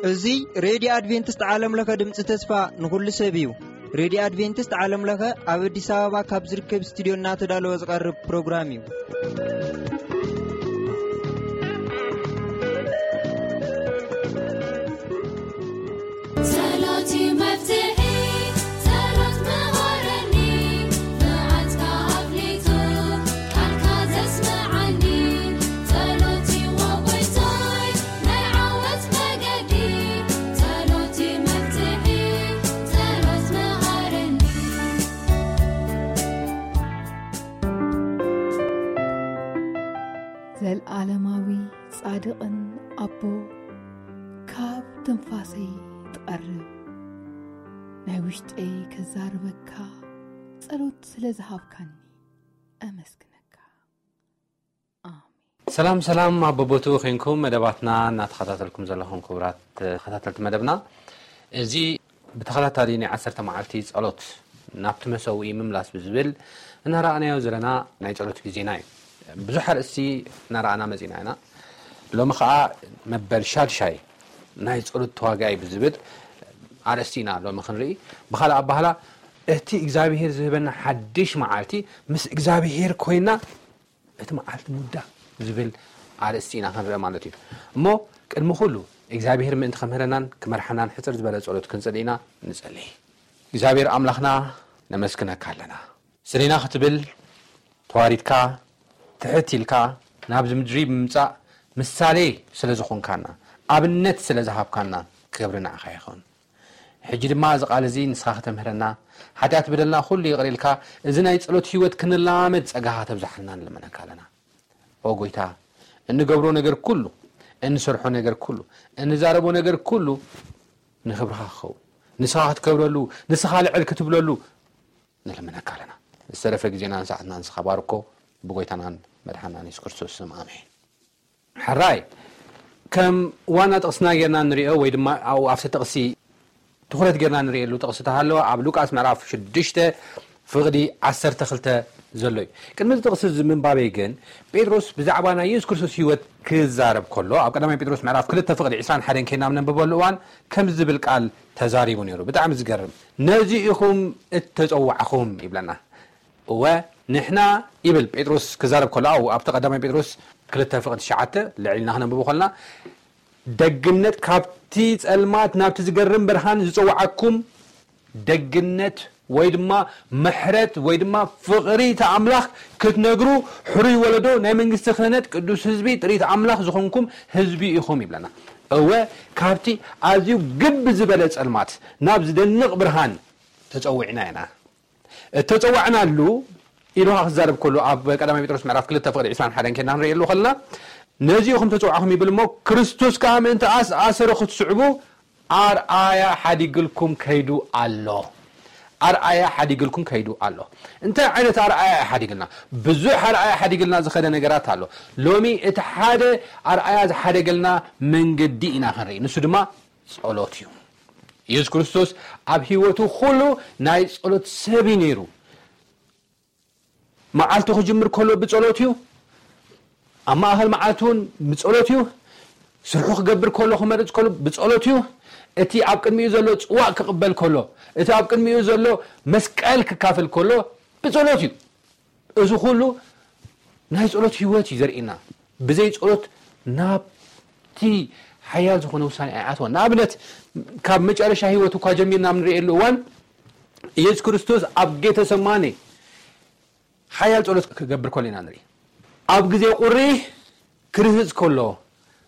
እዚ ሬድዮ ኣድቬንቲስት ዓለም ለኸ ድምፂ ተስፋ ንኹሉ ሰብ እዩ። ሬድዮ ኣድቬንቲስት ዓለም ለኸ ኣብ ኣዲስ ኣበባ ካብ ዝርከብ ስቱዲዮ እናተዳለወ ዝቐርብ ፕሮግራም እዩ። ጸሎት እዩ መፍትሒ፣ ጸሎት መሃረኒ፣ መዓልትካ ኣፍሊጡ ቃልካ ዘስምዓኒ። ጸሎት እዩ ጎይታይ ናይ ዓወት መገዲ፣ ጸሎት እዩ መፍትሒ፣ ጸሎት መሃረኒ። ዘልኣለማዊ ጻድቕን ኣቦ፣ ካብ ትንፋሰይ ትቐርብ፣ ናይ ውሽጠይ ከዛርበካ፣ ጸሎት ስለ ዝሃብካኒ ኣመስግነካ። ኣሜን። ሰላም ሰላም፣ ኣብ በቦትኡ ኾይንኩም መደባትና እናተኸታተልኩም ዘለኹም ክቡራት ተኸታተልቲ መደብና፣ እዚ ብተኸታታሊ ናይ ዓሰርተ መዓልቲ ጸሎት ናብቲ መሰውኢ ምምላስ ብዝብል እናረኣናዮ ዘለና ናይ ጸሎት ግዜና እዩ። ብዙሕ ኣርእስቲ እናረኣና መጺና ኢና። ሎሚ ኸኣ መበል ሻድሻይ ናይ ጸሎት ተዋጋኢ ብዝብል ኣርእስቲ ኢና ሎሚ ክንርኢ። ብኻልእ ኣባህላ፣ እቲ እግዚኣብሄር ዝህበና ሓድሽ መዓልቲ ምስ እግዚኣብሄር ኮይና እቲ መዓልቲ ምውዳእ ዝብል ኣርእስቲ ኢና ክንርኢ ማለት እዩ። እሞ ቅድሚ ኩሉ እግዚኣብሄር ምእንቲ ከምህረናን ክመርሓናን ሕጽር ዝበለ ጸሎት ክንጽሊ ኢና። ንጸሊ። እግዚኣብሄር ኣምላኽና፣ ነመስግነካ ኣለና። ስለ ኢና ክትብል ተዋሪድካ፣ ትሕት ኢልካ ናብዚ ምድሪ ብምምጻእ ምሳሌ ስለ ዝኾንካና፣ ኣብነት ስለ ዝሃብካና፣ ክብሪ ንዓኻ ይኹን። ሕጂ ድማ እዚ ቃል እዚ ንስኻ ከተምህረና፣ ሓጢኣት በደልና ኩሉ ይቕር ኢልካ፣ እዚ ናይ ጸሎት ህይወት ክንላመድ ጸጋኻ ተብዝሓልና ንልመነካ ኣለና። ኦ ጎይታ፣ እንገብሮ ነገር ኩሉ፣ እንሰርሖ ነገር ኩሉ፣ እንዛረቦ ነገር ኩሉ ንኽብርኻ ክኸውን፣ ንስኻ ክትከብረሉ፣ ንስኻ ልዕል ክትብለሉ ንልምነካ ኣለና። ዝተረፈ ግዜናን ሰዓትናን ንስኻ ባርኮ፣ ብጎይታናን መድሓናን የሱስ ክርስቶስ ስም፣ ኣሜን። ሕራይ፣ ከም ዋና ጥቕስና ጌርና ንሪኦ ወይ ድማ ኣብኡ ኣብቲ ጥቕሲ ትኹረት ጌርና ንርእየሉ ጥቕሲ ተሃለወ፣ ኣብ ሉቃስ ምዕራፍ ሽዱሽተ ፍቕዲ ዓሰርተ ክልተ ዘሎ እዩ። ቅድሚ እዚ ጥቕሲ እዚ ምንባበይ ግን፣ ጴጥሮስ ብዛዕባ ናይ የሱስ ክርስቶስ ህይወት ክዛረብ ከሎ፣ ኣብ ቀዳማይ ጴጥሮስ ምዕራፍ ክልተ ፍቕዲ ዕስራን ሓደን ኬድና ኣብ ነንብበሉ እዋን፣ ከምዚ ዝብል ቃል ተዛሪቡ ነይሩ። ብጣዕሚ ዝገርም። "ነዚ ኢኹም እተጸዋዕኹም" ይብለና። እወ፣ ንሕና ይብል ጴጥሮስ ክዛረብ ከሎ፣ ኣብኡ ኣብቲ ቀዳማይ ጴጥሮስ ክልተ ፍቕዲ ትሽዓተ ልዕል ኢልና ክነንብቦ ከለና፣ "ደግነት ካብቲ ጸልማት ናብቲ ዝገርም ብርሃን ዝጸውዓኩም ደግነት ወይ ድማ ምሕረት ወይ ድማ ፍቕሪ እቲ ኣምላኽ ክትነግሩ፣ ሕሩይ ወለዶ፣ ናይ መንግስቲ ክህነት፣ ቅዱስ ህዝቢ፣ ጥሪት ኣምላኽ ዝኾንኩም ህዝቢ ኢኹም" ይብለና። እወ፣ ካብቲ ኣዝዩ ግብ ዝበለ ጸልማት ናብ ዝደንቕ ብርሃን ተጸዊዕና ኢና። እተጸዋዕናሉ ኢሉ ክዛረብ ከሎ፣ ኣብ ቀዳማይ ጴጥሮስ ምዕራፍ ክልተ ፍቕዲ ዕስራን ሓደን ኬድና ክንርእየሉ ከለና፣ "ነዚ ኢኹም ተጸዋዕኹም" ይብል እሞ፣ "ክርስቶስ ከኣ ምእንቲ ኣስ-፣ ኣሰሩ ክትስዕቡ ኣርኣያ ሓዲግልኩም ከይዱ ኣሎ።" ኣርኣያ ሓዲግልኩም ከይዱ ኣሎ። እንታይ ዓይነት ኣርኣያ እዩ ሓዲግልና? ብዙሕ ኣርኣያ ሓዲግልና ዝኸደ ነገራት ኣሎ። ሎሚ እቲ ሓደ ኣርኣያ ዝሓደገልና መንገዲ ኢና ክንርኢ። ንሱ ድማ ጸሎት እዩ። የሱስ ክርስቶስ ኣብ ህይወቱ ኩሉ ናይ ጸሎት ሰብ እዩ ነይሩ። መዓልቱ ክጅምር ከሎ ብጸሎት እዩ። ኣብ ማእከል መዓልቲ እውን ብጸሎት እዩ። ስርሑ ክገብር ከሎ፣ ክመርጽ ከሎ ብጸሎት እዩ። እቲ ኣብ ቅድሚኡ ዘሎ ጽዋእ ክቕበል ከሎ፣ እቲ ኣብ ቅድሚኡ ዘሎ መስቀል ክካፈል ከሎ ብጸሎት እዩ። እዚ ኩሉ ናይ ጸሎት ህይወት እዩ ዘርእየና። ብዘይ ጸሎት ናብቲ ሓያል ዝኾነ ውሳኔ ኣይኣትወን። ንኣብነት፣ ካብ መጨረሻ ህይወቱ እኳ ጀሚርና ኣብ ንርእየሉ እዋን፣ ኢየሱስ ክርስቶስ ኣብ ጌተሰማኔ ሓያል ጸሎት ክገብር ከሎ ኢና ንርኢ። ኣብ ግዜ ቁሪ ክርህጽ ከሎ፣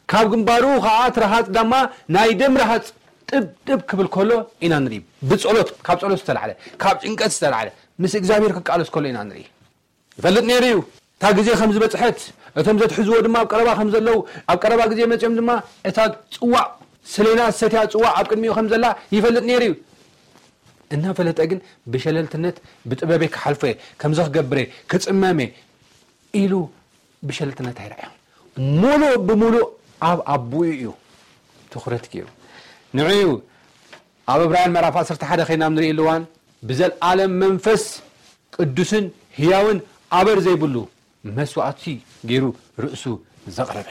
ካብ ግንባሩ ኸኣ እቲ ረሃጽ ዳማ ናይ ደም ረሃጽ ጥብ ጥብ ክብል ከሎ ኢና ንርኢ። ብጸሎት፣ ካብ ጸሎት ዝተላዕለ፣ ካብ ጭንቀት ዝተላዕለ፣ ምስ እግዚኣብሔር ክቃለስ ከሎ ኢና ንርኢ። ይፈልጥ ነይሩ እዩ እታ ግዜ ከም ዝበጽሐት፣ እቶም ዘትሕዝዎ ድማ ኣብ ቀረባ ከም ዘለዉ፣ ኣብ ቀረባ ግዜ መጺኦም ድማ እታ ጽዋእ፣ ሰሌና ዝሰትያ ጽዋእ ኣብ ቅድሚኡ ከም ዘላ ይፈልጥ ነይሩ እዩ። እናፈለጠ ግን ብሸለልትነት፣ "ብጥበበይ ክሓልፎ እየ፣ ከምዚ ክገብር እየ፣ ክጽመም እየ" ኢሉ ብሸለልትነት ኣይረኣዮን። ሙሉእ ብሙሉእ ኣብ ኣቦኡ እዩ ትኹረት ገይሩ። ንዑ እዩ ኣብ ዕብራውያን ምዕራፍ ዓሰርተ ሓደ ኸይና ኣብ ንርእየሉ እዋን፣ "ብዘለኣለም መንፈስ ቅዱስን ህያውን ኣበር ዘይብሉ መስዋእቲ ገይሩ ርእሱ ዘቕረበ፣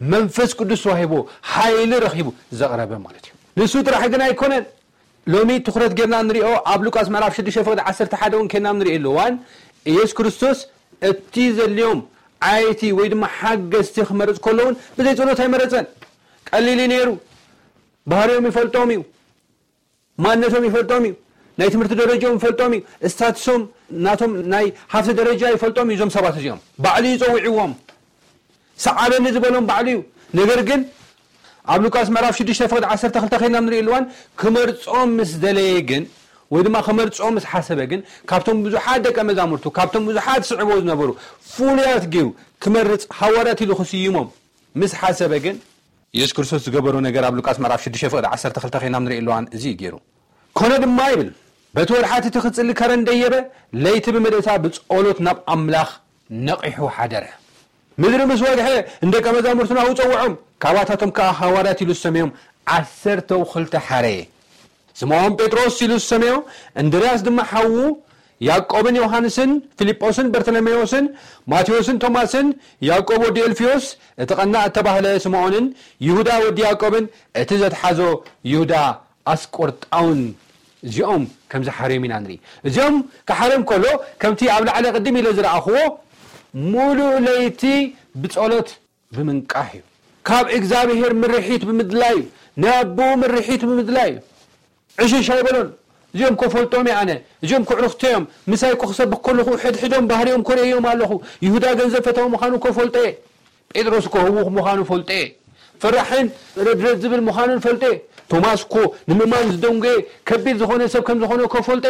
መንፈስ ቅዱስ ተዋሂቦ ሓይሊ ረኺቡ ዘቕረበ ማለት እዩ። ንሱ ጥራሕ ግን ኣይኮነን። ሎሚ ትኹረት ጌርና ንሪኦ ኣብ ሉቃስ ምዕራፍ ሽዱሽተ ፍቕዲ ዓሰርተ ሓደ እውን ኬና ንሪኦ ኣለዋን ኢየሱስ ክርስቶስ እቲ ዘልዮም ዓይቲ ወይ ድማ ሓገዝቲ ክመርጽ ከሎ እውን ብዘይ ጸሎት ኣይመረጸን። ቀሊል እዩ ነይሩ። ባህሪኦም ይፈልጦም እዩ። ማንነቶም ይፈልጦም እዩ። ናይ ትምህርቲ ደረጃኦም ይፈልጦም እዩ። ስታትሶም ናቶም ናይ ሃፍቲ ደረጃ ይፈልጦም እዩ። እዞም ሰባት እዚኦም ባዕሉ ይጸውዕዎም። ሰዓበኒ ዝበሎም ባዕሉ እዩ። ነገር ግን ኣብ ሉቃስ ምዕራፍ ሽዱሽተ ፍቕዲ ዓሰርተ ክልተ ኬድና ንርኢ ኣለዋን ክመርጾም ምስ ደለየ ግን ወይ ድማ ክመርጾም ምስ ሓሰበ ግን ካብቶም ብዙሓት ደቀ መዛሙርቱ ካብቶም ብዙሓት ስዕቦ ዝነበሩ ፍሉያት ገይሩ ክመርጽ ሃዋርያት ኢሉ ክስይሞም ምስ ሓሰበ ግን ኢየሱስ ክርስቶስ ዝገበሮ ነገር ኣብ ሉቃስ ምዕራፍ ሽዱሽተ ፍቕዲ ዓሰርተ ክልተ ኬድና ንርኢ ኣለዋን እዚ እዩ ገይሩ። ኮነ ድማ ይብል በቲ ወርሓት እቲ ክጽሊ ከረን ደየበ ለይቲ ብምልእታ ብጸሎት ናብ ኣምላኽ ነቒሑ ሓደረ። ምድሪ ምስ ወግሐ ንደቀ መዛሙርቱ ናብኡ ጸውዖም። ካባታቶም ከኣ ሃዋርያት ኢሉ ዝሰመዮም ዓሰርተው ክልተ ሓረየ። ስምዖን ጴጥሮስ ኢሉ ዝሰመዮ፣ እንድርያስ ድማ ሓዉ፣ ያዕቆብን ዮሃንስን፣ ፊልጶስን በርተሎሜዎስን፣ ማቴዎስን ቶማስን፣ ያዕቆብ ወዲ ኤልፊዮስ፣ እቲ ቀናእ እተባህለ ስምዖንን፣ ይሁዳ ወዲ ያዕቆብን፣ እቲ ዘትሓዞ ይሁዳ ኣስቆርጣውን እዚኦም ከም ዝሓርዮም ኢና ንርኢ። እዚኦም ክሓርዮም ከሎ ከምቲ ኣብ ላዕሊ ቅድም ኢለ ዝረኣኽዎ ሙሉእ ለይቲ ብጸሎት ብምንቃሕ እዩ። ካብ እግዚኣብሔር ምርሒት ብምድላይ እዩ። ናይ ኣቦኡ ምርሒት ብምድላይ እዩ። ዕሽሽ ኣይበሎን። እዚኦም ኮ ፈልጦም እየ ኣነ። እዚኦም ኮ ዕሩኽተይ እዮም። ምሳይ ኮ ክሰብኽ ከለኹ ሕድሕዶም ባህሪኦም ኮ ርእዮም ኣለኹ። ይሁዳ ገንዘብ ፈታዊ ምዃኑ ኮ ፈልጦ እየ። ጴጥሮስ እኮ ህዉኽ ምዃኑ ፈልጠ። ፈራሕን ረድረድ ዝብል ምዃኑን ፈልጠ። ቶማስ እኮ ንምእማን ዝደንጎየ ከቢድ ዝኾነ ሰብ ከም ዝኾነ እኮ ፈልጠ።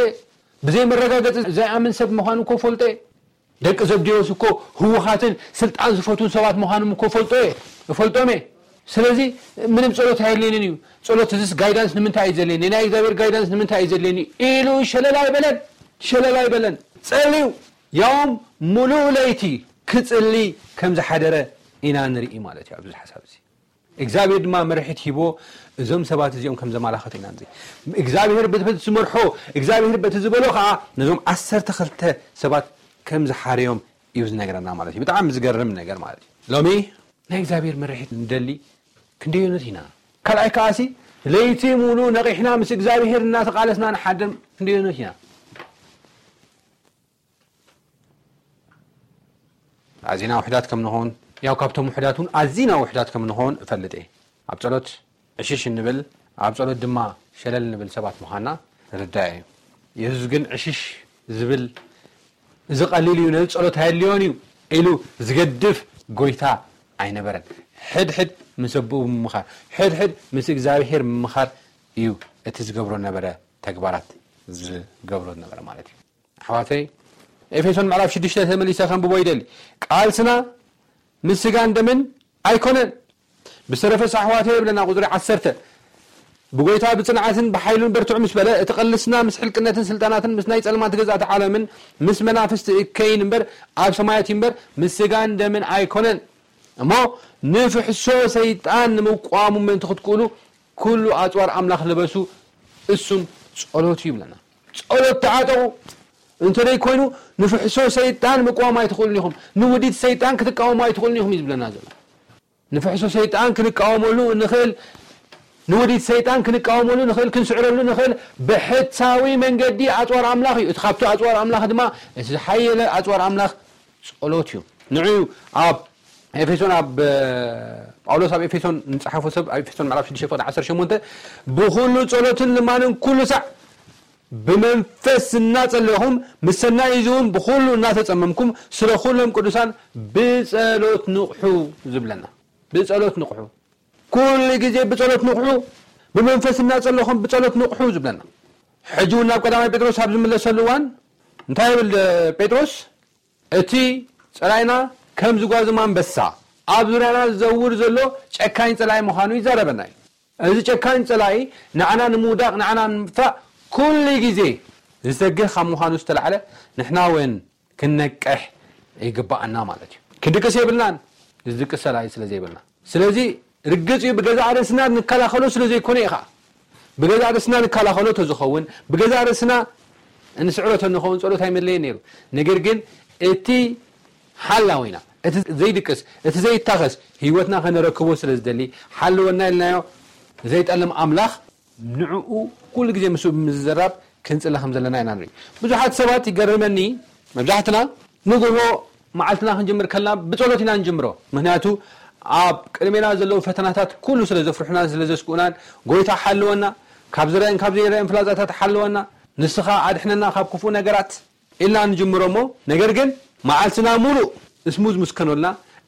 ብዘይ መረጋገጺ ዘይኣምን ሰብ ምዃኑ እኮ ፈልጠ። ደቂ ዘብዴዎስ እኮ ህዉኻትን ስልጣን ዝፈትዉን ሰባት ምዃኖም እኮ ፈልጦ እየ፣ እፈልጦም እየ። ስለዚ ምንም ጸሎት ኣየድልየንን እዩ። ጸሎት እዚስ ጋይዳንስ ንምንታይ እዩ ዘድልየኒ? ናይ እግዚኣብሔር ጋይዳንስ ንምንታይ እዩ ዘድልየኒ? ኢሉ ሸለል ኣይበለን፣ ሸለል ኣይበለን። ጸልዩ፣ ያውም ሙሉእ ለይቲ ክጽሊ ከም ዝሓደረ ኢና ንርኢ ማለት እዩ ኣብዚ ሓሳብ እዚ። እግዚኣብሔር ድማ መርሒት ሂቦ እዞም ሰባት እዚኦም ከም ዘመላኸቱ ኢና ንርኢ። እግዚኣብሔር በቲ ዝመርሖ፣ እግዚኣብሔር በቲ ዝበሎ ኸዓ ነዞም ዓሰርተ ክልተ ሰባት ከም ዝሓረዮም እዩ ዝነግረና ማለት እዩ። ብጣዕሚ ዝገርም ነገር ማለት እዩ። ሎሚ ናይ እግዚኣብሔር መርሒት ንደሊ ክንደዮኖት ኢና። ካልኣይ ከዓሲ ለይቲ ሙሉ ነቒሕና ምስ እግዚኣብሔር እናተቓለስና ንሓድር ክንደዮኖት ኢና። ኣዚና ውሕዳት ከም ንኾን፣ ያው ካብቶም ውሕዳት እውን ኣዚና ውሕዳት ከም ንኾን እፈልጥ እየ። ኣብ ጸሎት ዕሽሽ እንብል፣ ኣብ ጸሎት ድማ ሸለል እንብል ሰባት ምዃንና ርዳእ እዩ። የሱስ ግን ዕሽሽ ዝብል እዚ ቀሊል እዩ፣ ነዚ ጸሎት ኣየድልዮን እዩ ኢሉ ዝገድፍ ጎይታ ኣይነበረን። ሕድሕድ ምስ ኣቦኡ ምምኻር፣ ሕድሕድ ምስ እግዚኣብሔር ምምኻር እዩ እቲ ዝገብሮ ነበረ ተግባራት ዝገብሮ ነበረ ማለት እዩ። ኣሕዋተይ፣ ኤፌሶን ምዕራፍ ሽዱሽተ ተመሊሰ ከንብቦ ይደሊ። ቃልስና ምስ ስጋን ደምን ኣይኮነን። ብዝተረፈስ ኣሕዋተይ ይብለና ቁጽሪ ዓሰርተ፣ ብጎይታ ብጽንዓትን ብሓይሉን በርትዑ ምስ በለ፣ እቲ ቃልስና ምስ ሕልቅነትን ስልጣናትን ምስ ናይ ጸልማት ገዛእቲ ዓለምን ምስ መናፍስቲ እከይን እምበር ኣብ ሰማያት እዩ እምበር ምስ ስጋን ደምን ኣይኮነን። እሞ ንፍሕሶ ሰይጣን ንምቋሙ ምእንቲ ክትክእሉ ኩሉ ኣጽዋር ኣምላኽ ልበሱ፣ እሱም ጸሎት እዩ ይብለና። ጸሎት ተዓጠቑ። እንተ ደይ ኮይኑ ንፍሕሶ ሰይጣን ምቋም ኣይትኽእሉን ኢኹም፣ ንውዲት ሰይጣን ክትቃወሙ ኣይትኽእሉን ኢኹም እዩ ዝብለና ዘሎ። ንፍሕሶ ሰይጣን ክንቃወመሉ ንኽእል፣ ንውዲት ሰይጣን ክንቃወመሉ ንኽእል፣ ክንስዕረሉ ንኽእል ብሕታዊ መንገዲ ኣጽዋር ኣምላኽ እዩ። እቲ ካብቲ ኣጽዋር ኣምላኽ ድማ እቲ ዝሓየለ ኣጽዋር ኣምላኽ ጸሎት እዩ። ንዑ ኣብ ኤፌሶን ኣብ ጳውሎስ ኣብ ኤፌሶን ንጽሓፎ ሰብ ኣብ ኤፌሶን ምዕራፍ ሽዱሽተ ፍቕዲ ዓሰርተ ሸሞንተ ብኹሉ ጸሎትን ልማንን ኩሉ ሳዕ ብመንፈስ እናጸለኹም ምስ ሰናይ እዚ እውን ብኹሉ እናተጸመምኩም ስለ ኩሎም ቅዱሳን ብጸሎት ንቕሑ ዝብለና። ብጸሎት ንቕሑ። ኩሉ ግዜ ብጸሎት ንቕሑ። ብመንፈስ እናጸለኹም ብጸሎት ንቕሑ ዝብለና። ሕጂ እውን ናብ ቀዳማይ ጴጥሮስ ኣብ ዝምለሰሉ እዋን እንታይ ይብል ጴጥሮስ? እቲ ጸላኢና ከም ዝጓዝም ኣንበሳ ኣብ ዙርያና ዝዘውር ዘሎ ጨካኝ ጸላኢ ምዃኑ ይዛረበና እዩ። እዚ ጨካኝ ጸላኢ ንዓና ንምውዳቕ ንዓና ንምጥፋእ ኩሉ ግዜ ዝተግህ ካብ ምዃኑ ዝተላዕለ ንሕና እውን ክንነቅሕ ይግባኣና ማለት እዩ። ክንድቅስ የብልናን፣ ዝድቅስ ጸላኢ ስለ ዘይብልና። ስለዚ ርግጽ እዩ ብገዛእ ርእስና ንከላኸሎ ስለ ዘይኮነ እዩ ኸዓ። ብገዛእ ርእስና ንከላኸሎ ተዝኸውን ብገዛእ ርእስና እንስዕሮ ተንኸውን ጸሎት ኣይመለየን ነይሩ። ነገር ግን እቲ ሓላዊና፣ እቲ ዘይድቅስ፣ እቲ ዘይታኸስ ህይወትና ከነረክቦ ስለ ዝደሊ ሓለወና ኢልናዮ። ዘይጠልም ኣምላኽ ንዕኡ ኩሉ ግዜ ምስኡ ብምዝራብ ክንጽሊ ከም ዘለና ኢና ንርኢ። ብዙሓት ሰባት ይገርመኒ፣ መብዛሕትና ንግሆ መዓልትና ክንጅምር ከለና ብጸሎት ኢና ንጅምሮ። ምክንያቱ ኣብ ቅድሜና ዘለዉ ፈተናታት ኩሉ ስለ ዘፍርሑናን ስለ ዘስግኡናን፣ ጎይታ ሓልወና፣ ካብ ዝረአን ካብ ዘይረአን ፍላጻታት ሓልወና፣ ንስኻ ኣድሕነና ካብ ክፉእ ነገራት ኢልና ንጅምሮ እሞ፣ ነገር ግን መዓልትና ሙሉእ ስሙዝ ምስ ከነልና፣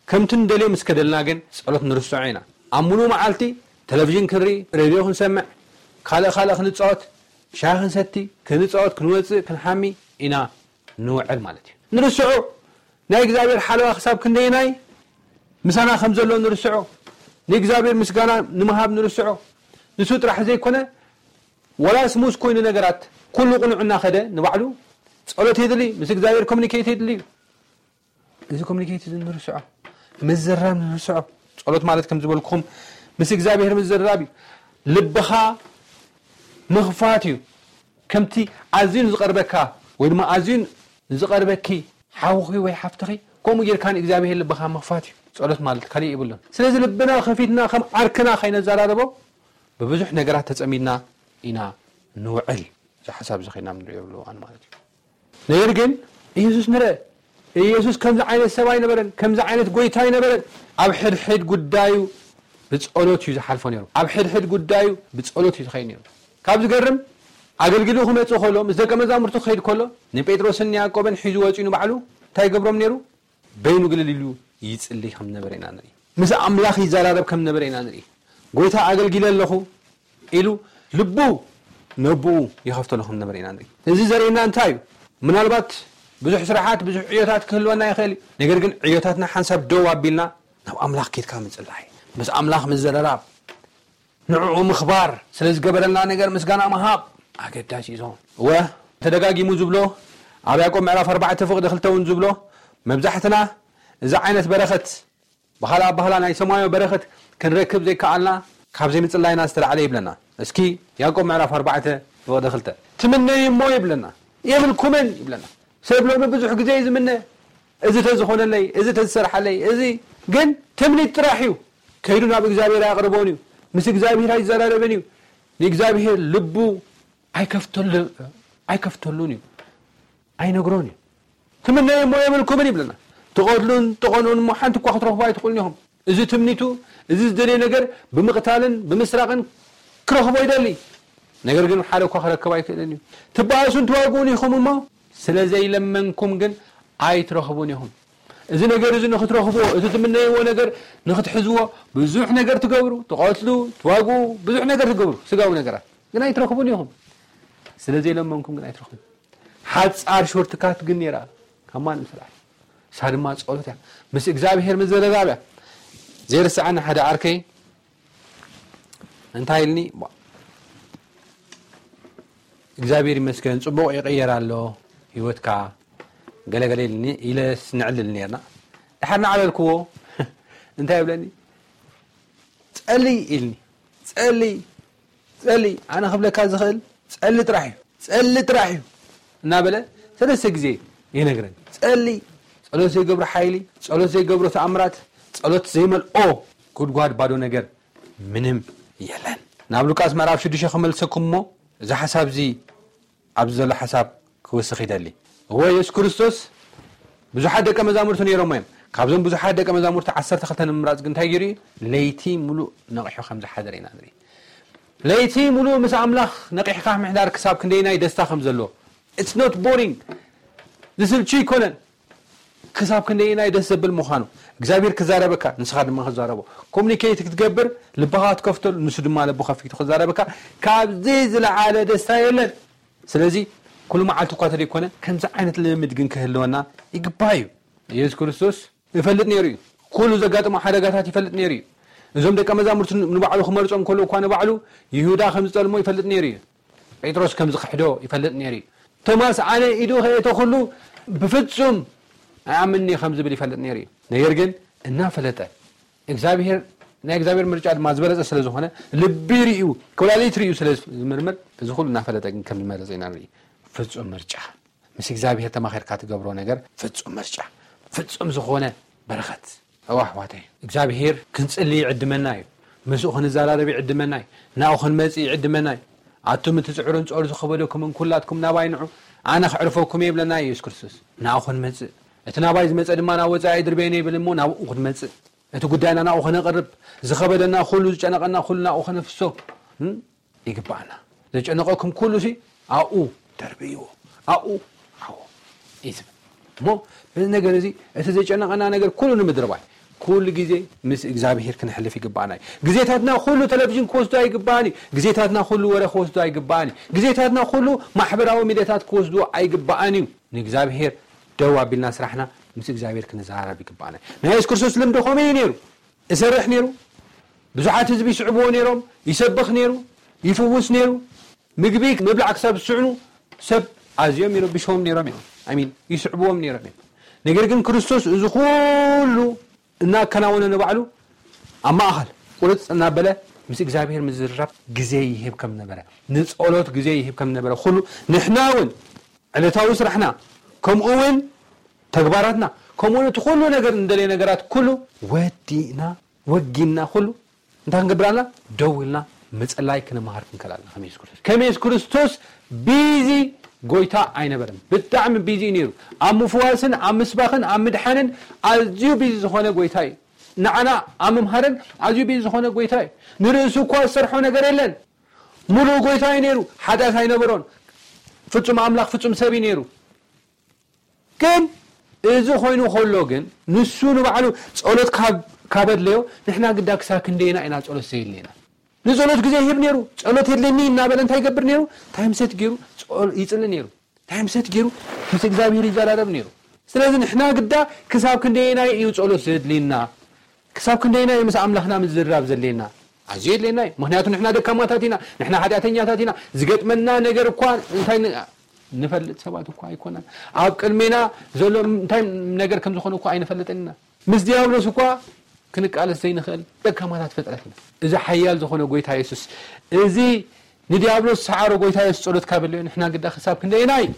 ከምቲ ንደልዮ ምስ ከደልና ግን ጸሎት ንርስዖ ኢና። ኣብ ሙሉእ መዓልቲ ቴሌቪዥን ክንርኢ፣ ሬድዮ ክንሰምዕ፣ ካልእ ካልእ ክንጻወት፣ ሻሂ ክንሰቲ፣ ክንጻወት፣ ክንወጽእ፣ ክንሓሚ ኢና ንውዕል ማለት እዩ። ንርስዖ ናይ እግዚኣብሔር ሓለዋ ክሳብ ክንደየናይ ምሳና ከም ዘሎ ንርስዖ፣ ንእግዚኣብሔር ምስጋና ንምሃብ ንርስዖ። ንሱ ጥራሕ ዘይኮነ፣ ወላ ስሙዝ ኮይኑ ነገራት ኩሉ ቅኑዕ እናኸደ ንባዕሉ ጸሎት የድሊ፣ ምስ እግዚኣብሔር ኮሚኒኬት የድሊ እዩ። እዚ ኮሚኒኬት እዚ ንርስዖ፣ ምዝራብ ንርስዖ። ጸሎት ማለት ከም ዝበልኩኹም ምስ እግዚኣብሔር ምዝራብ እዩ። ልብኻ ምኽፋት እዩ። ከምቲ ኣዝዩ ንዝቐርበካ ወይ ድማ ኣዝዩ ንዝቐርበኪ ሓውኺ ወይ ሓፍትኺ፣ ከምኡ ጌርካ ንእግዚኣብሔር ልብኻ ምኽፋት እዩ። ጸሎት ማለት ካልእ የብሉን። ስለዚ ልብና ከፊትና ከም ዓርክና ከይነዘራርቦ ብብዙሕ ነገራት ተጸሚድና ኢና ንውዕል። እዚ ሓሳብ እዚ ከይና ንሪኦ የብሉ እዋን ማለት እዩ። ነገር ግን ኢየሱስ ንርአ። ኢየሱስ ከምዚ ዓይነት ሰብ ኣይነበረን፣ ከምዚ ዓይነት ጎይታ ኣይነበረን። ኣብ ሕድሕድ ጉዳዩ ብጸሎት እዩ ዝሓልፎ ነይሩ። ኣብ ሕድሕድ ጉዳዩ ብጸሎት እዩ ዝኸይድ ነይሩ። ካብ ዝገርም፣ ኣገልግሉ ክመጽእ ከሎ፣ ምስ ደቀ መዛሙርቱ ክኸይድ ከሎ፣ ንጴጥሮስን ንያዕቆብን ሒዙ ወጺኡ ንባዕሉ እንታይ ይገብሮም ነይሩ? በይኑ ግልል ኢሉ ይጽሊ ከም ዝነበረ ኢና ንርኢ። ምስ ኣምላኽ ይዘራረብ ከም ዝነበረ ኢና ንርኢ። ጎይታ ኣገልጊለ ኣለኹ ኢሉ ልቡ ነብኡ ይኸፍተሉ ከም ዝነበረ ኢና ንርኢ። እዚ ዘርእየና እንታይ እዩ? ምናልባት ብዙሕ ስራሓት፣ ብዙሕ ዕዮታት ክህልወና ይኽእል እዩ። ነገር ግን ዕዮታትና ሓንሳብ ደው ኣቢልና ናብ ኣምላኽ ኬድካ ምጽላይ፣ ምስ ኣምላኽ ምዝርራብ፣ ንዕኡ ምኽባር፣ ስለ ዝገበረልና ነገር ምስጋና ምሃብ ኣገዳሲ እዩ ዝኸውን። እወ፣ ተደጋጊሙ ዝብሎ፣ ኣብ ያዕቆብ ምዕራፍ ኣርባዕተ ፍቕዲ ክልተ እውን ዝብሎ፣ መብዛሕትና እዚ ዓይነት በረኸት፣ ብኻልእ ኣባህላ ናይ ሰማያዊ በረኸት ክንረክብ ዘይከኣልና ካብ ዘይምጽላይና ዝተላዕለ ይብለና። እስኪ ያዕቆብ ምዕራፍ ኣርባዕተ ፍቕዲ ክልተ፣ ትምነዩ እሞ ይብለና፣ የብልኩምን ይብለና። ሰብ ሎሚ ብዙሕ ግዜ እዩ ዝምነ፣ እዚ ተዝኾነለይ፣ እዚ ተዝሰርሓለይ፣ እዚ ግን ትምኒት ጥራሕ እዩ። ከይዱ ናብ እግዚኣብሔር ኣያቕርቦን እዩ። ምስ እግዚኣብሔር ኣይዘራረብን እዩ። ንእግዚኣብሔር ልቡ ኣይከፍተሉ-፣ ኣይከፍተሉን እዩ። ኣይነግሮን እዩ። ትምነዩ እሞ የብልኩምን ይብለና። ትቐትሉን ትቐንኡን እሞ ሓንቲ እኳ ክትረኽቡ ኣይትኽእሉን ኢኹም። እዚ ትምኒቱ፣ እዚ ዝደልዮ ነገር ብምቕታልን ብምስራቕን ክረኽቦ ይደሊ። ነገር ግን ሓደ እኳ ክረክብ ኣይክእልን እዩ። ትበኣሱን ትዋግኡን ኢኹም እሞ፣ ስለ ዘይለመንኩም ግን ኣይትረኽቡን ኢኹም። እዚ ነገር እዚ ንኽትረኽብዎ፣ እቲ ትምነይዎ ነገር ንኽትሕዝዎ፣ ብዙሕ ነገር ትገብሩ፣ ትቐትሉ፣ ትዋግኡ፣ ብዙሕ ነገር ትገብሩ፣ ስጋዊ ነገራት። ግን ኣይትረኽቡን ኢኹም። ስለ ዘይለመንኩም ግን ኣይትረኽቡን። ሓጻር ሾርትካት ግን ነይራ፣ ከማን ምስራሕ። እሳ ድማ ጸሎት እያ። ምስ እግዚኣብሔር ምዝርራብ እያ። ዘይርስዓኒ ሓደ ዓርከይ እንታይ ኢልኒ? ቧ-፣ እግዚኣብሔር ይመስገን፣ ጽቡቕ ይቕየር ኣሎ ህይወትካ፣ ገለገለ ኢልኒ፣ ኢለ ስንዕልል ነርና። ድሓር ንዓበልክዎ፣ እንታይ ይብለኒ? ጸሊ ኢልኒ። ጸሊ፣ ጸሊ፣ ኣነ ክብለካ ዝኽእል ጸሊ ጥራሕ እዩ። ጸሊ ጥራሕ እዩ። እናበለ ሰለስተ ግዜ ይነግረኒ። ጸሊ፣ ጸሎት ዘይገብሮ ሓይሊ፣ ጸሎት ዘይገብሮ ተኣምራት፣ ጸሎት ዘይመልኦ ጉድጓድ ባዶ ነገር ምንም የለን። ናብ ሉቃስ ምዕራፍ ሽዱሽተ ክመልሰኩም እሞ፣ እዚ ሓሳብ እዚ ኣብዚ ዘሎ ሓሳብ ክውስኽ ይደሊ። እወ፣ የሱስ ክርስቶስ ብዙሓት ደቀ መዛሙርቲ ነይሮሞ እዮም። ካብዞም ብዙሓት ደቀ መዛሙርቲ ዓሰርተ ክልተ ንምምራጽ ግን እንታይ ገይሩ እዩ? ለይቲ ምሉእ ነቒሑ ከም ዝሓደረ ኢና ንርኢ። ለይቲ ምሉእ ምስ ኣምላኽ ነቒሕካ ምሕዳር ክሳብ ክንደየናይ ደስታ ከም ዘለዎ። It's not boring። ዝስልቹ ኣይኮነን። ክሳብ ክንደየናይ ደስ ዘብል ምዃኑ። እግዚኣብሔር ክዛረበካ፣ ንስኻ ድማ ክዛረቦ። ኮሙኒኬት ክትገብር፣ ልብኻ ክትከፍተሉ፣ ንሱ ድማ ልቡ ከፊቱ ክዛረበካ። ካብዚ ዝለዓለ ደስታ የለን። ስለዚ ኩሉ መዓልቲ እኳ ተደይኮነ፣ ከምዚ ዓይነት ልምምድ ግን ክህልወና ይግባእ እዩ። የሱስ ክርስቶስ ይፈልጥ ነይሩ እዩ። ኩሉ ዘጋጥሞ ሓደጋታት ይፈልጥ ነይሩ እዩ። እዞም ደቀ መዛሙርቲ ንባዕሉ ክመርጾም ከሎ እኳ ንባዕሉ ይሁዳ ከም ዝጠልሞ ይፈልጥ ነይሩ እዩ። ጴጥሮስ ከም ዝኽሕዶ ይፈልጥ ነይሩ እዩ። ቶማስ ኣነ ኢዱ ከየእተኹሉ ብፍጹም ኣይኣምንን እየ ከም ዝብል ይፈልጥ ነይሩ እዩ። ነገር ግን እናፈለጠ እግዚኣብሔር፣ ናይ እግዚኣብሔር ምርጫ ድማ ዝበለጸ ስለ ዝኾነ፣ ልቢ ርእዩ፣ ኮላሊት ርእዩ ስለ ዝምርምር፣ እዚ ኩሉ እናፈለጠ ግን ከም ዝመረጸ ኢና ንርኢ። ፍጹም ምርጫ። ምስ እግዚኣብሔር ተማኺርካ ትገብሮ ነገር ፍጹም ምርጫ፣ ፍጹም ዝኾነ በረኸት። እዋ ኣሕዋተይ፣ እግዚኣብሔር ክንጽሊ ይዕድመና እዩ። ምስኡ ክንዘራረብ ይዕድመና እዩ። ናብኡ ክንመጽእ ይዕድመና እዩ። ኣቱም እቲ ጽዕሩን ጾር ዝኸበደኩምን ኩላትኩም ናባይ ንዑ፣ ኣነ ክዕርፈኩም እየ ይብለና እዩ የሱስ ክርስቶስ። ናብኡ ክንመጽእ፣ እቲ ናባይ ዝመጸ ድማ ናብ ወጻኢ ኣይድርበየን ይብል እሞ ናብኡ ክንመጽእ፣ እቲ ጉዳይና ናብኡ ከነቕርብ፣ ዝኸበደና ኩሉ ዝጨነቐና ኩሉ ናብኡ ከነፍሶ ይግባኣና። ዘጨነቐኩም ኩሉ ሲ ኣብኡ ደርብይዎ፣ ኣብኡ ዓዎ እዩ ዝብል። እሞ በዚ ነገር እዚ እቲ ዘጨነቐና ነገር ኩሉ ንምድርባይ ኩሉ ግዜ ምስ እግዚኣብሄር ክነሕልፍ ይግባኣና እዩ። ግዜታትና ኩሉ ቴሌቪዥን ክወስዶ ኣይግባኣን እዩ። ግዜታትና ኩሉ ወረ ክወስዶ ኣይግባኣን እዩ። ግዜታትና ኩሉ ማሕበራዊ ሚድያታት ክወስዶ ኣይግባኣን እዩ። ንእግዚኣብሄር ደው ኣቢልና ስራሕና ምስ እግዚኣብሄር ክንዘራረብ ይግባኣና እዩ። ናይ የሱስ ክርስቶስ ልምዲ ከመይ እዩ ነይሩ? እሰርሕ ነይሩ። ብዙሓት ህዝቢ ይስዕብዎ ነይሮም። ይሰብኽ ነይሩ። ይፍውስ ነይሩ። ምግቢ ምብላዕ ክሳብ ዝስዕኑ ሰብ ኣዝዮም ይረብሽዎም ነይሮም እዮም። ኣሚን ይስዕብዎም ነይሮም እዮም። ነገር ግን ክርስቶስ እዚ ኩሉ እናከናወነ ንባዕሉ ኣብ ማእኸል ቁርፅ እናበለ ምስ እግዚኣብሔር ምዝርራብ ግዜ ይህብ ከም ነበረ፣ ንጸሎት ግዜ ይህብ ከም ነበረ ኩሉ ንሕና እውን ዕለታዊ ስራሕና ከምኡ እውን ተግባራትና ከምኡ እውን እቲ ኩሉ ነገር እንደለየ ነገራት ኩሉ ወዲእና ወጊና ኩሉ እንታይ ክንገብር ኣለና? ደው ኢልና ምጽላይ ክንመሃር ክንከል ኣለና። ከም የሱስ ክርስቶስ ከም የሱስ ክርስቶስ ቢዚ ጎይታ ኣይነበረን። ብጣዕሚ ቢዚ እዩ ነይሩ። ኣብ ምፍዋስን ኣብ ምስባኽን ኣብ ምድሓንን ኣዝዩ ቢዚ ዝኾነ ጎይታ እዩ። ንዓና ኣብ ምምሃርን ኣዝዩ ቢዚ ዝኾነ ጎይታ እዩ። ንርእሱ እኳ ዝሰርሖ ነገር የለን። ሙሉእ ጎይታ እዩ ነይሩ። ሓጢኣት ኣይነበሮን። ፍጹም ኣምላኽ ፍጹም ሰብ እዩ ነይሩ። ግን እዚ ኮይኑ ከሎ ግን ንሱ ንባዕሉ ጸሎት ካብ ካብ ኣድለዮ ንሕና ግዳ ክሳብ ክንደይና ኢና ጸሎት ዘየድልየና? ንጸሎት ግዜ ይህብ ነይሩ። ጸሎት የድልየኒ እናበለ እንታይ ይገብር ነይሩ? ታይም ሰት ገይሩ ጸሎ- ይጽሊ ነይሩ። ታይም ሰት ገይሩ ምስ እግዚኣብሔር ይዘራረብ ነይሩ። ስለዚ ንሕና ግዳ ክሳብ ክንደይና እዩ ጸሎት ዘድልየና? ክሳብ ክንደይና እዩ ምስ ኣምላኽና ምዝርራብ ዘድልየና? ኣዝዩ የድልየና እዩ። ምክንያቱ ንሕና ደካማታት ኢና፣ ንሕና ሓጢኣተኛታት ኢና። ዝገጥመና ነገር እኳ እንታይ ን- ንፈልጥ ሰባት እኳ ኣይኮናን። ኣብ ቅድሜና ዘሎ እንታይ ነገር ከም ዝኾነ እኳ ኣይንፈልጥን ኢና። ምስ ዲያብሎስ እኳ ክንቃለስ ዘይንኽእል ደካማታት ፍጥረት ኢና። እዚ ሓያል ዝኾነ ጎይታ የሱስ፣ እዚ ንዲያብሎስ ሰዓሮ ጎይታ የሱስ ጸሎት ካብ ኣድለዮ ንሕና ግዳ ክሳብ ክንደይና እዩ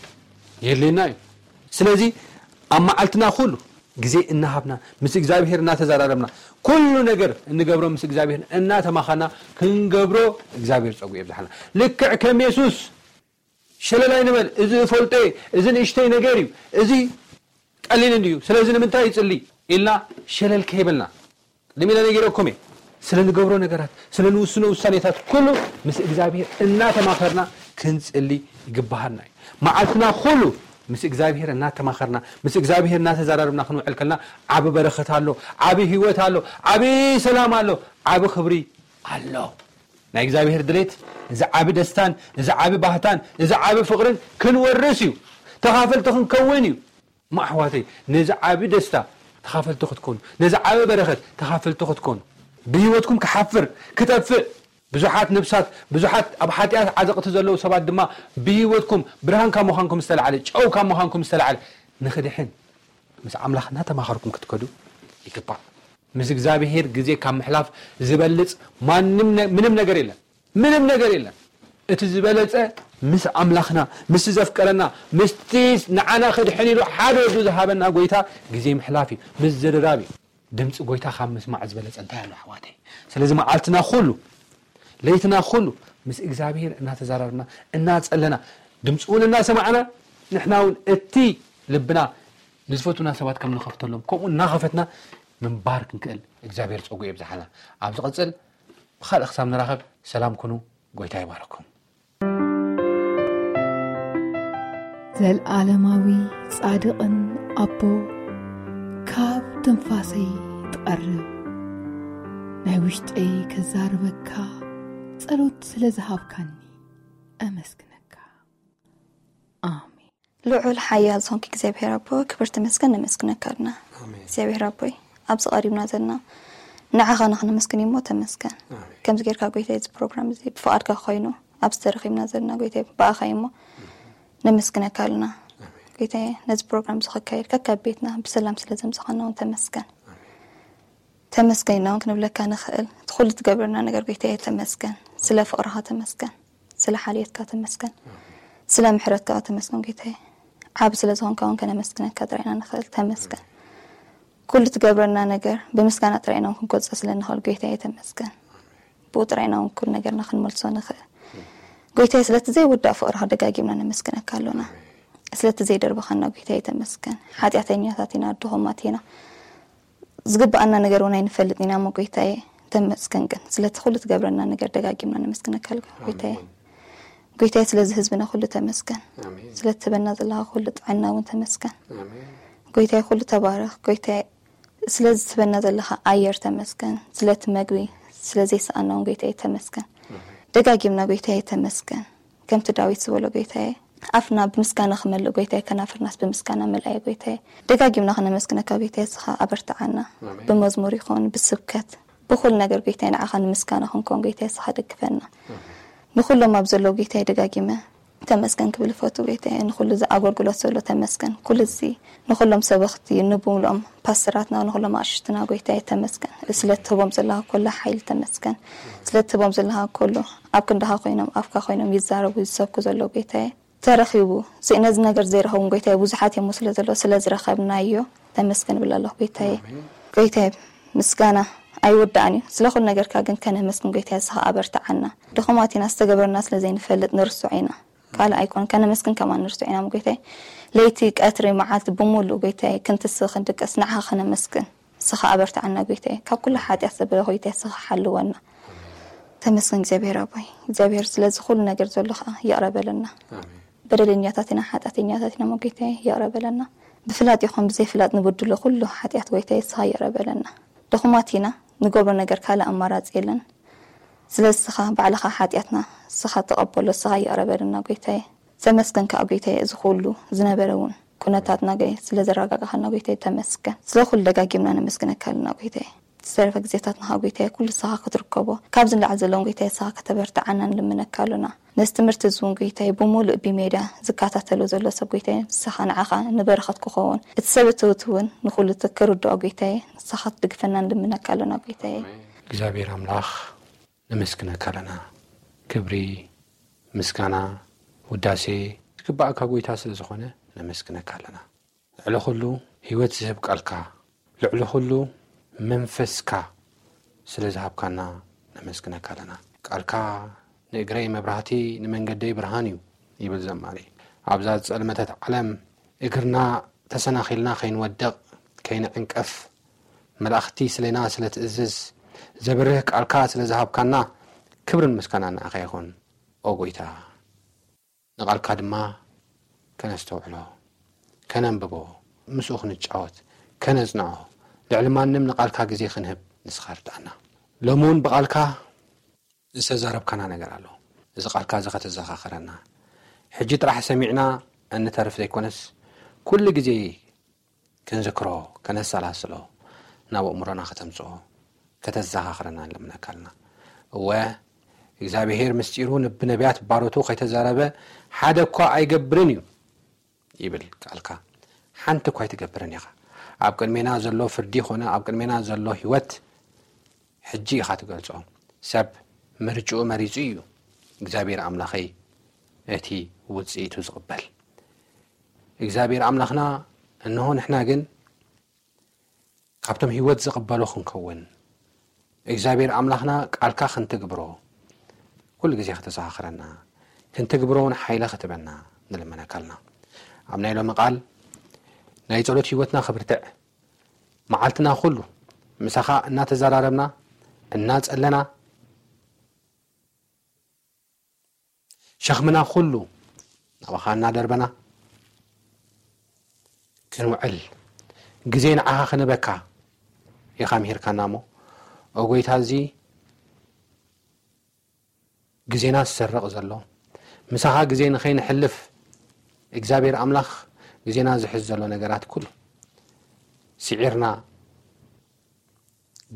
የድልየና እዩ። ስለዚ ኣብ መዓልትና ኩሉ ግዜ እናሃብና ምስ እግዚኣብሔር እናተዘራረብና ኩሉ ነገር እንገብሮ ምስ እግዚኣብሔር እናተማኸና ክንገብሮ እግዚኣብሔር ጸጉ የብዝሓልና። ልክዕ ከም የሱስ ሸለል ኣይንበል። እዚ እፈልጦ እየ፣ እዚ ንእሽተይ ነገር እዩ፣ እዚ ቀሊል እንድዩ፣ ስለዚ ንምንታይ ይጽሊ ኢልና ሸለል ከይበልና ቅድም ኢለ ነጊረኩም እየ። ስለ ንገብሮ ነገራት፣ ስለ ንውስኖ ውሳኔታት ኩሉ ምስ እግዚኣብሔር እናተማኸርና ክንጽሊ ይግባሃና እዩ። መዓልትና ኩሉ ምስ እግዚኣብሔር እናተማኸርና ምስ እግዚኣብሔር እናተዘራረብና ክንውዕል ከልና ዓቢ በረኸት ኣሎ፣ ዓቢ ህይወት ኣሎ፣ ዓቢ ሰላም ኣሎ፣ ዓቢ ክብሪ ኣሎ። ናይ እግዚኣብሔር ድሌት እዚ ዓቢ ደስታን እዚ ዓቢ ባህታን እዚ ዓቢ ፍቕርን ክንወርስ እዩ። ተኻፈልቲ ክንከውን እዩ። እሞ ኣሕዋተይ ነዚ ዓቢ ደስታ ተኻፈልቲ ክትኮኑ፣ ነዚ ዓቢ በረኸት ተኻፈልቲ ክትኮኑ፣ ብህይወትኩም ክሓፍር ክጠፍእ ብዙሓት ነብሳት ብዙሓት ኣብ ሓጢኣት ዓዘቕቲ ዘለዉ ሰባት ድማ ብህይወትኩም ብርሃን ካብ ምዃንኩም ዝተላዕለ ጨው ካብ ምዃንኩም ዝተላዕለ ንኽድሕን ምስ ኣምላኽ እናተማኸርኩም ክትከዱ ይግባእ። ምስ እግዚኣብሔር ግዜ ካብ ምሕላፍ ዝበልጽ ማንም ነ- ምንም ነገር የለን። ምንም ነገር የለን። እቲ ዝበለጸ ምስ ኣምላኽና ምስቲ ዘፍቀረና ምስቲ ንዓና ክድሕን ኢሉ ሓደ ወዱ ዝሃበና ጎይታ ግዜ ምሕላፍ እዩ። ምዝርራብ እዩ። ድምፂ ጎይታ ካብ ምስማዕ ዝበለጸ እንታይ ኣሎ ኣሕዋተይ? ስለዚ መዓልትና ኩሉ ለይትና ኩሉ ምስ እግዚኣብሔር እናተዛረብና እናጸለና ድምፂ እውን እናሰማዕና ንሕና እውን እቲ ልብና ንዝፈቱና ሰባት ከም ንኸፍተሎም ከምኡ እናኸፈትና ምንባር ክንክእል እግዚኣብሔር ፀጉ የብዝሓልና። ኣብ ዝቐፅል ብኻልእ ክሳብ ንራኸብ ሰላም ኩኑ። ጎይታ ይባርኩም። ዘልዓለማዊ ጻድቕን ኣቦ ካብ ትንፋሰይ ትቐርብ ናይ ውሽጠይ ከዛርበካ ጸሎት ስለ ዝሃብካኒ ኣመስግነካ። ኣሜን። ልዑል ሓያል ዝኾንክ እግዚኣብሔር ኣቦ ክብር ተመስገን ነመስግነካ ኣለና። እግዚኣብሔር ኣቦይ ኣብዚ ቀሪብና ዘለና ንዓኻ ንክነመስግን እሞ ተመስገን። ከምዚ ጌርካ ጎይታ እዚ ፕሮግራም እዚ ብፍቓድካ ኮይኑ ኣብዚ ተረኺብና ዘለና ጎይታ ብኣኻ እሞ ነመስግነካ ኣለና። ጎይታ ነዚ ፕሮግራም እዚ ከካየድ ከካብ ቤትና ብሰላም ስለ ዘምሰኻና እውን ተመስገን። ተመስገን ኢና እውን ክንብለካ ንኽእል እቲ ኩሉ ትገብረና ነገር ጎይታ ተመስገን። ስለ ፍቕርኻ ተመስገን። ስለ ሓልየትካ ተመስገን። ስለ ምሕረትካ ተመስገን ጎይታየ። ዓቢ ስለ ዝኾንካ እውን ከነመስግነካ ጥራይ ኢና ንኽእል። ተመስገን። ኩሉ ትገብረና ነገር ብምስጋና ጥራይ ኢና እውን ክንገልጾ ስለ ንኽእል ጎይታየ ተመስገን። ብኡ ጥራይ ኢና እውን ኩሉ ነገርና ክንመልሶ ንኽእል። ጎይታየ ስለቲ ዘይውዳእ ፍቕርኻ ደጋጊምና ነመስግነካ ኣሎና። ስለቲ ዘይደርበኻና ጎይታየ ተመስገን። ሓጢኣተኛታት ኢና፣ ድኹማት ኢና። ዝግብኣና ነገር እውን ኣይንፈልጥ ኢና እሞ ጎይታየ ተመስገን። ግን ስለቲ ኩሉ ትገብረና ነገር ደጋጊምና ነመስግነካ ኣለና ጎይታየ። ኣሜን። ጎይታየ ስለዚ ህዝብና ኩሉ ተመስገን። ኣሜን። ስለቲ ትህበና ዘለኻ ኩሉ ጥዕና እውን ተመስገን። ኣሜን። ጎይታየ ኩሉ ተባረኽ። ጎይታየ ስለዚ ትህበና ዘለኻ ኣየር ተመስገን። ስለቲ መግቢ ስለ ዘይሰኣና እውን ጎይታየ ተመስገን። ኣሜን። ደጋጊምና ጎይታየ ተመስገን። ከምቲ ዳዊት ዝበሎ ጎይታየ ኣፍና ብምስጋና ክመልእ ጎይታየ ከናፍርናስ ብምስጋና መልኣየ ጎይታየ። ደጋጊምና ከነመስግነካ ጎይታየ እስኻ ኣበርትዓና። ኣሜን። ብመዝሙር ይኹን ብስብከት ብኹሉ ነገር ጎይታየ ንዓኻ ንምስጋና ክንከውን ጎይታየ እስኻ ደግፈና። ኣሜን። ንኹሎም ኣብ ዘለዉ ጎይታየ ደጋጊመ ተመስገን ክብል እፈቱ ጎይታየ። ንኹሉ እዚ ኣገልግሎት ዘሎ ተመስገን። ኩሉ እዚ ንኹሎም ሰበኽቲ ንብምልኦም ፓስተራትና ንኹሎም ኣሽትና ጎይታየ ተመስገን። ስለ ትህቦም ዘለኻ ኩሉ ሓይሊ ተመስገን። ስለ ትህቦም ዘለኻ ኩሉ ኣብ ክንዳኻ ኮይኖም ኣፍካ ኮይኖም ይዛረቡ ይሰብኩ ዘለዉ ጎይታየ። ተረኺቡ ዚ- ነዚ ነገር ዘይረኸቡን ጎይታየ ብዙሓት እዮም ስለ ዘለዉ ስለ ዝረኸብናዮ ተመስገን እብል ኣለኹ ጎይታየ። ኣሜን። ጎይታየ ምስጋና ኣይወዳእን እዩ። ስለ ኩሉ ነገርካ ግን ከነመስግን ጎይታየ እስኻ ኣበርትዓና። ድኹማት ኢና ዝተገበረና ስለ ዘይንፈልጥ ንርሱዕ ኢና። ካልእ ኣይኮን ከነመስግን ከማን ንርሱዕ ኢና እሞ ጎይታየ። ለይቲ ቀትሪ መዓልቲ ብምሉእ ጎይታየ ክንትስእ ክንድቅስ ንዓኻ ከነመስግን። እስኻ ኣበርትዓና ጎይታየ። ካብ ኩሉ ሓጢኣት ዘበለ ጎይታየ እስኻ ሓልወና። ተመስገን እግዚኣብሔር ኣቦይ። እግዚኣብሔር ስለዚ ኩሉ ነገር ዘሎ ኸዓ ይቕረ በለና። ኣሜን። በደለኛታት ኢና ሓጢኣተኛታት ኢና እሞ ጎይታየ ይቕረ በለና። ብፍላጥ ይኹን ብዘይፍላጥ ንብድሎ ኩሉ ሓጢኣት ጎይታየ እስኻ ይቕረ በለና። ድኹማት ኢና ንገብሮ ነገር ካልእ ኣማራጺ የለን። ስለዚ እስኻ ባዕልኻ ሓጢኣትና እስኻ ተቐበሎ እስኻ ይቕረ በለና ጎይታየ። ተመስገን ከኣ ጎይታየ እዚ ኩሉ ዝነበረ እውን ኩነታትና ገይ ስለ ዘረጋጋኻና ጎይታየ ተመስገን። ስለ ኩሉ ደጋጊምና ነመስግነካ ኣለና ጎይታየ። ዝተረፈ ግዜታትና ከኣ ጎይታየ ኩሉ ንስኻ ክትርከቦ ካብዚ ንላዕሊ ዘለውን ጎይታየ ንስኻ ከተበርትዓና ንልምነካ ኣሎና። ነዚ ትምህርቲ እዚ እውን ጎይታየ ብምሉእ ብሜድያ ዝከታተሎ ዘሎ ሰብ ጎይታየ ንስኻ ንዓኻ ንበረኸት ክኸውን እቲ ሰብ እትውት እውን ንኹሉ እቲ ክርድኦ ጎይታየ ንስኻ ክትድግፈና ንልምነካ ኣሎና ጎይታየ። እግዚኣብሔር ኣምላኽ ነመስግነካ ኣለና። ክብሪ፣ ምስጋና፣ ውዳሴ ዝግባኣካ ጎይታ ስለ ዝኾነ ነመስግነካ ኣለና። ልዕሊ ኩሉ ህይወት ዝህብ ቃልካ፣ ልዕሊ ኩሉ መንፈስካ ስለ ዝሃብካና ነመስግነካ ኣለና። ቃልካ ንእግረይ መብራህቲ ንመንገደይ ብርሃን እዩ ይብል ዘማሪ። ኣብዛ ዝጸልመተት ዓለም እግርና ተሰናኺልና ከይንወድቕ ከይንዕንቀፍ መላእኽቲ ስሌና ስለ ትእዝዝ ዘብርህ ቃልካ ስለ ዝሃብካና ክብርን ምስጋናን ንዓኻ ይኹን ኦ ጎይታ። ንቓልካ ድማ ከነስተውዕሎ፣ ከነንብቦ፣ ምስኡ ክንጫወት፣ ከነጽንዖ፣ ልዕሊ ማንም ንቓልካ ግዜ ክንህብ ንስኻ ርድኣና። ሎሚ እውን ብቓልካ ዝተዛረብካና ነገር ኣሎ። እዚ ቓልካ እዚ ከተዘኻኽረና፣ ሕጂ ጥራሕ ሰሚዕና እንተርፍ ዘይኮነስ፣ ኩሉ ግዜ ክንዝክሮ፣ ከነሰላስሎ፣ ናብ ኣእምሮና ከተምጽኦ፣ ከተዘኻኽረና ንልምነካ ኣለና። እወ፣ እግዚኣብሄር ምስጢሩ ንብነቢያት ባሮቱ ከይተዛረበ ሓደ እኳ ኣይገብርን እዩ ይብል ቃልካ። ሓንቲ እኳ ኣይትገብርን ኢኻ። ኣብ ቅድሜና ዘሎ ፍርዲ ኾነ ኣብ ቅድሜና ዘሎ ህይወት ሕጂ ኢኻ ትገልጾ። ሰብ ምርጭኡ መሪጹ እዩ እግዚኣብሔር ኣምላኸይ እቲ ውጽኢቱ ዝቕበል። እግዚኣብሔር ኣምላኽና እንሆ ንሕና ግን ካብቶም ህይወት ዝቕበሉ ክንከውን እግዚኣብሔር ኣምላኽና ቃልካ ክንትግብሮ ኩሉ ግዜ ከተዘኻኽረና ክንትግብሮ እውን ሓይሊ ክትበና ንልመነካ ኣለና። ኣብ ናይ ሎሚ ቃል ናይ ጸሎት ህይወትና ክብርትዕ መዓልትና ኩሉ ምሳኻ እናተዘራረብና እናጸለና ሸኽምና ኩሉ ናባኻ እናደርበና ክንውዕል ግዜ ንዓኻ ክንበካ ኢኻ ምሂርካና እሞ ኦ ጎይታ እዚ ግዜና ዝሰርቕ ዘሎ ምሳኻ ግዜ ንኸይንሕልፍ እግዚኣብሔር ኣምላኽ ግዜና ዝሕዝ ዘሎ ነገራት ኩሉ ስዒርና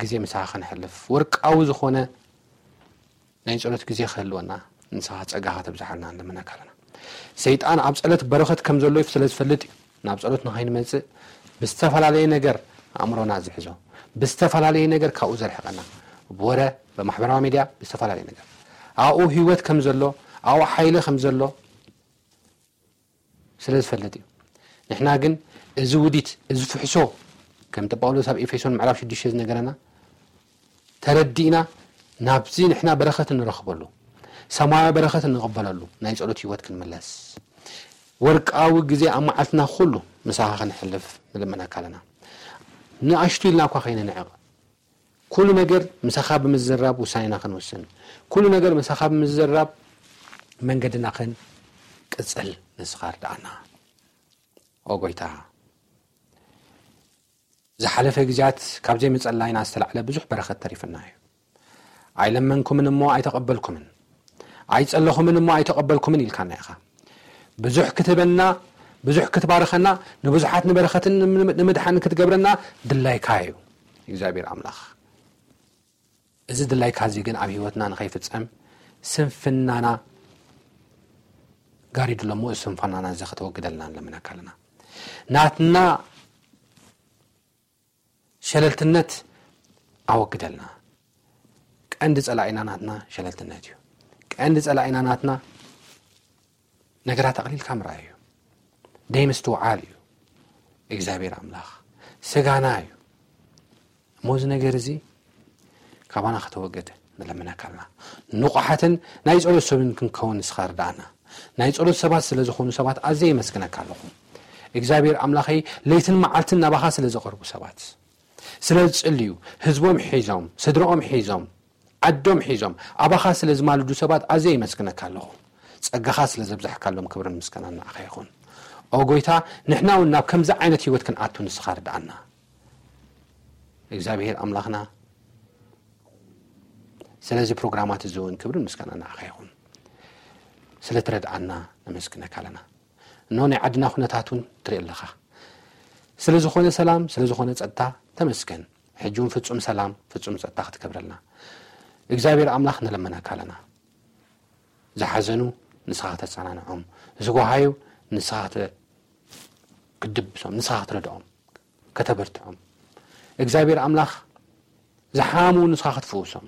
ግዜ ምሳኻ ከነሕልፍ ወርቃዊ ዝኾነ ናይ ጸሎት ግዜ ክህልወና ንስኻ ጸጋኻ ተብዝሓልና ንልምነካ ኣለና። ሰይጣን ኣብ ጸሎት በረኸት ከም ዘሎ ስለ ዝፈልጥ እዩ ናብ ጸሎት ንኸይንመጽእ ብዝተፈላለየ ነገር ኣእምሮና ዝሕዞ ብዝተፈላለየ ነገር ካብኡ ዘርሕቐና ብወረ ብማሕበራዊ ሚድያ ብዝተፈላለየ ነገር ኣብኡ ህይወት ከም ዘሎ ኣብኡ ሓይሊ ከም ዘሎ ስለ ዝፈልጥ እዩ። ንሕና ግን እዚ ውዲት፣ እዚ ፍሕሶ፣ ከምቲ ጳውሎስ ኣብ ኤፌሶን ምዕራፍ ሽዱሽተ ዝነገረና፣ ተረዲእና ናብዚ ንሕና በረኸት እንረኽበሉ፣ ሰማያዊ በረኸት እንቕበለሉ ናይ ጸሎት ህይወት ክንምለስ፣ ወርቃዊ ግዜ ኣብ መዓልትና ኩሉ ምሳኻ ክንሕልፍ ንልምነካ ኣለና። ንኣሽቱ ኢልና እኳ ከይንንዕቕ፣ ኩሉ ነገር ምሳኻ ብምዝራብ ውሳኔና ክንውስን፣ ኩሉ ነገር ምሳኻ ብምዝራብ መንገድና ክንቅጽል ንስኻ ርድኣና። ኦ ጎይታ፣ ዝሓለፈ ግዜያት ካብ ዘይምጸላይና ዝተላዕለ ብዙሕ በረኸት ተሪፍና እዩ። ኣይለመንኩምን እሞ ኣይተቐበልኩምን፣ ኣይጸለኹምን እሞ ኣይተቐበልኩምን ኢልካና ኢኻ። ብዙሕ ክትበና፣ ብዙሕ ክትባርኸና፣ ንብዙሓት ንበረኸትን ንምድሓን ክትገብረና ድላይካ እዩ እግዚኣብሔር ኣምላኽ። እዚ ድላይካ እዚ ግን ኣብ ህይወትና ንኸይፍጸም ስንፍናና ጋሪዱ ኣሎ እሞ፣ እዚ ስንፍናና እዚ ከተወግደልና ንለምነካ ኣለና። ናትና ሸለልትነት ኣወግደልና። ቀንዲ ጸላኢና ናትና ሸለልትነት እዩ። ቀንዲ ጸላኢና ናትና ነገራት ኣቕሊልካ ምርኣይ እዩ። ደይ ምስትውዓል እዩ። እግዚኣብሔር ኣምላኽ ስጋና እዩ። እሞ እዚ ነገር እዚ ካባና ከተወግድ ንለምነካ ኣለና። ንቑሓትን ናይ ጸሎት ሰብን ክንከውን ንስኻ ርድኣና። ናይ ጸሎት ሰባት ስለ ዝኾኑ ሰባት ኣዝየ የመስግነካ ኣለኹ። እግዚኣብሔር ኣምላኸይ፣ ለይትን መዓልትን ናባኻ ስለ ዝቐርቡ ሰባት፣ ስለ ዝጽልዩ፣ ህዝቦም ሒዞም፣ ስድራኦም ሒዞም፣ ዓዶም ሒዞም ኣባኻ ስለ ዝማልዱ ሰባት ኣዝየ የመስግነካ ኣለኹ። ጸጋኻ ስለ ዘብዛሕካሎም ክብርን ምስጋናን ንዓኻ ይኹን። ኦ ጎይታ፣ ንሕና እውን ናብ ከምዚ ዓይነት ህይወት ክንኣቱ ንስኻ ርድኣና። እግዚኣብሔር ኣምላኽና፣ ስለዚ ፕሮግራማት እዚ እውን ክብርን ምስጋናን ንዓኻ ይኹን። ስለ ትረድኣና ነመስግነካ ኣለና። እነሆ ናይ ዓድና ኩነታት እውን ትርኢ ኣለኻ። ስለ ዝኾነ ሰላም፣ ስለ ዝኾነ ጸጥታ ተመስገን። ሕጂ እውን ፍጹም ሰላም፣ ፍጹም ጸጥታ ክትገብረልና እግዚኣብሔር ኣምላኽ ንለምነካ ኣለና። ዝሓዘኑ ንስኻ ከተጸናንዖም፣ ዝጓሃዩ ንስኻ ከተ-፣ ክትድብሶም፣ ንስኻ ክትረድኦም፣ ከተበርትዖም። እግዚኣብሔር ኣምላኽ ዝሓሙ ንስኻ ክትፍውሶም፣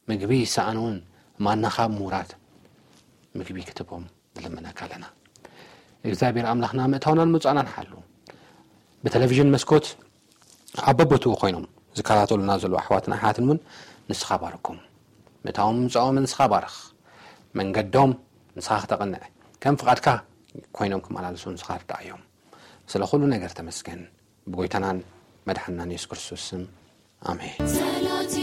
ምግቢ ዝሰኣኑ እውን ማናኻ ብምውራድ ምግቢ ክትህቦም ንልምነካ ኣለና። እግዚኣብሔር ኣምላኽና ምእታውናን ምውጻእናን ሓሉ። ብቴሌቪዥን መስኮት ኣብ በቦትኡ ኮይኖም ዝከታተሉና ዘለዉ ኣሕዋትን ኣሓትን እውን ንስኻ ባርኮም። ምእታዎም ምውጻኦም ንስኻ ባርኽ። መንገዶም ንስኻ ክተቕንዕ፣ ከም ፍቓድካ ኮይኖም ክመላለሱ ንስኻ ርድኣዮም። ስለ ኩሉ ነገር ተመስገን። ብጎይታናን መድሓንናን የሱስ ክርስቶስ ስም፣ ኣሜን። ጸሎት